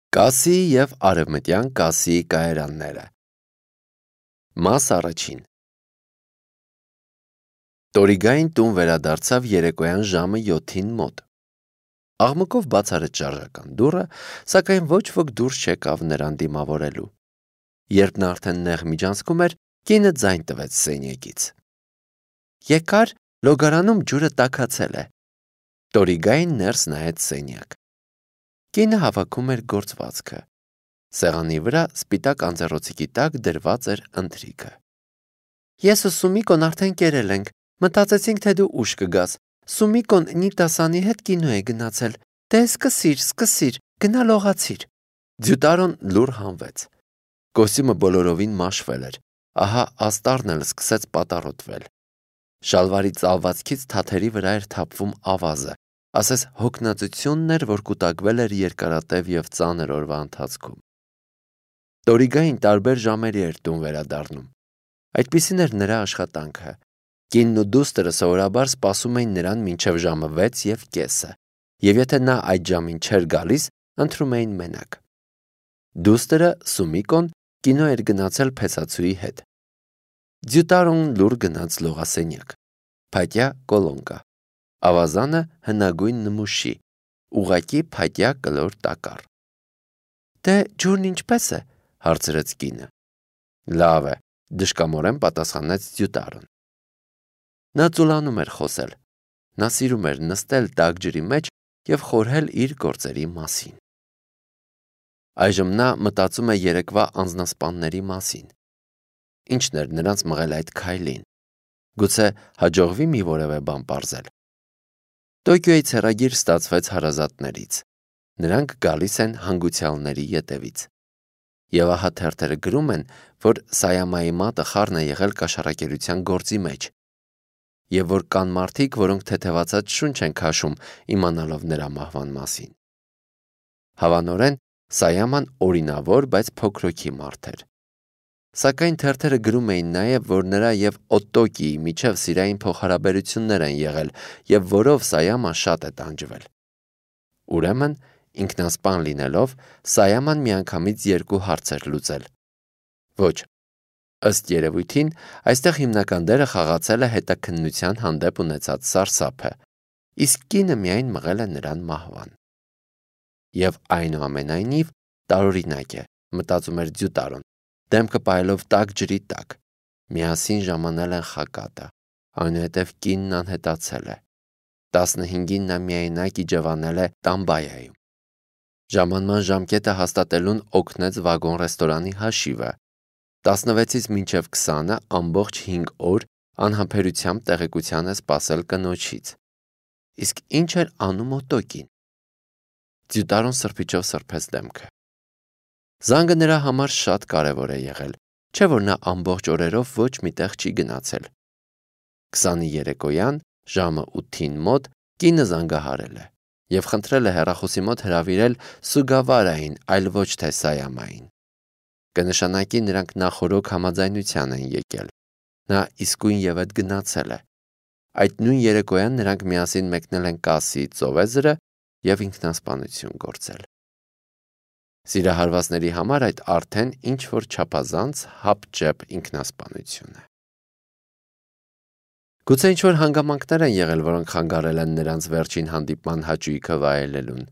Կասի և արևմտյան կասի կայարանները։ Մաս առաջին։ Տորիգային տուն վերադարձավ երեկոյան ժամը 7-ին մոտ։ Աղմկով բաց արեց շարժական դուռը, սակայն ոչ ոք դուրս չեկավ նրան դիմավորելու։ Երբ նա արդեն նեղ միջանցքում էր, կինը ձայն տվեց սենյակից. «Եկար, լոգարանում ջուրը տաքացել է»։ Տորիգային ներս նայեց սենյակ։ Կինը հավաքում էր գործվածքը։ Սեղանի վրա սպիտակ անձեռոցիկի տակ դրված էր ընթրիքը։ «Ես ու Սումիկոն արդեն կերել ենք, մտածեցինք, թե դու ուշ կգաս։ Սումիկոն Նիտասանի հետ կինո է գնացել։ Դե սկսիր, գնա լողացիր»։ Ձյուտարոն լուռ հանվեց։ Կոստյումը բոլորովին մաշվել էր, ահա աստառն էլ սկսեց պատառոտվել։ Շալվարի ծալվածքից թաթերի վրա էր թափվում ավազը, ասես հոգնածությունն էր, որ կուտակվել էր երկարատև և ծանր օրվա ընթացքում։ Տորիգային տարբեր ժամերի էր տուն վերադառնում։ Այդպիսին էր նրա աշխատանքը։ Կինն ու դուստրը սովորաբար սպասում էին նրան մինչև ժամը 6:30, և եթե նա այդ ժամին չէր գալիս, ընտրում էին մենակ։ Դուստրը՝ Սումիկոն, կինո էր գնացել փեսացուի հետ։ Ձյուտարոն լուռ գնաց լողասենյակ։ Փայտյա կոլոնկա։ Ավազանը հնագույն նմուշի, ուղղակի փայտյա կլոր տակառ։ «Դե ջուրն ինչպե՞ս է», հարցրեց կինը։ «Լավ է», դժկամորեն պատասխանեց Ձյուտարոն։ Նա ծուլանում էր խոսել։ Նա սիրում էր նստել տաք ջրի մեջ և խորհել իր գործերի մասին։ Այժմ նա մտածում է երեկվա անձնասպանների մասին։ Ինչն էր նրանց մղել այդ քայլին։ Գուցե հաջողվի մի որևէ բան պարզել։ Տոկիոյի ցեղագիր ստացվեց հարազատներից։ Նրանք գալիս են հանգուցյալների ետևից։ Եվ ահա թերթերը գրում են, որ Սայամայի մատը խառն է եղել կաշառակերության գործի մեջ, և որ կան մարդիկ, որոնք թեթևացած շունչ են քաշում, իմանալով նրա մահվան մասին։ Հավանորեն, Սայաման օրինավոր, բայց փոքրոքի մարդ էր։ Սակայն թերթերը գրում էին նաև, որ նրա և Օտոկիի միջև սիրային փոխհարաբերություններ են եղել, և որով Սայաման շատ է տանջվել։ Ուրեմն, ինքնասպան լինելով, Սայաման միանգամից 2 հարց էր լուծել։ Ոչ, ըստ երևույթին, այստեղ հիմնական դերը խաղացել է հետաքննության հանդեպ ունեցած սարսափը, իսկ կինը միայն մղել է նրան մահվան։ Եվ այնուամենայնիվ տարօրինակ է, մտածում էր Ձյուտարոն, դեմքը պահելով տաք ջրի տակ։ Միասին ժամանել են Խակատը, այնուհետև կինն անհետացել է։ 15-ին նա միայնակ իջևանել է Տամբայայում։ Ժամանման ժամկետը հաստատելուն օգնեց վագոն-ռեստորանի հաշիվը։ 16-ից մինչև 20-ը ամբողջ 5 օր անհամբերությամբ տեղեկության է սպասել կնոջից։ Իսկ ինչ էր անում Օտոկին։ Ձյուտարոն սրբիչով սրբեց դեմքը։ Զանգը նրա համար շատ կարևոր է եղել, չէ՞ որ նա ամբողջ օրերով ոչ մի տեղ չի գնացել։ 20-ի երեկոյան, ժամը 8-ին մոտ, կինը զանգահարել է և խնդրել է հեռախոսի մոտ հրավիրել Սուգավարային, այլ ոչ թե Սայամային։ Կնշանակի նրանք նախօրոք համաձայնության են եկել։ Նա իսկույն և ետ գնացել է։ Այդ նույն երեկոյան նրանք միասին մեկնել են Կասիի ծովեզրը և ինքնասպանություն գործել։ Սիրահարվածների համար այդ արդեն ինչ-որ չափազանց հապճեպ ինքնասպանություն է։ Գուցե ինչ-որ հանգամանքներ են եղել, որոնք խանգարել են նրանց վերջին հանդիպման հաճույքը վայելելուն։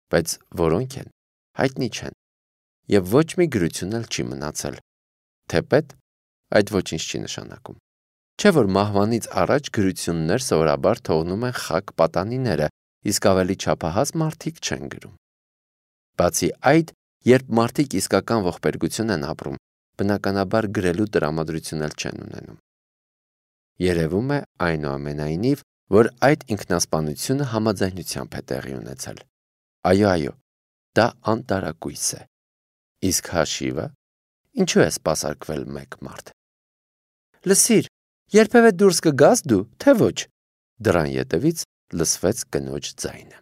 Բայց որոնք են, հայտնի չեն, և ոչ մի գրություն էլ չի մնացել։ Թեպետ այդ ոչինչ չի նշանակում։ Չէ՞ որ մահվանից առաջ գրություններ սովորաբար թողնում են խաք պատանիները, իսկ ավելի չափահաս մարդիկ չեն գրում։ Բացի այդ, երբ մարդիկ իսկական ողբերգություն են ապրում, բնականաբար գրելու տրամադրություն էլ չեն ունենում։ Երևում է, այնուամենայնիվ, որ այդ ինքնասպանությունը համաձայնությամբ է տեղի ունեցել։ Այո, դա անտարակույս է։ Իսկ հաշիվը, ինչու է սպասարկվել մեկ մարդ։ Լսիր, երբևէ դուրս կգաս դու, թե ոչ։ Դռան ետևից լսվեց կնոջ ձայնը։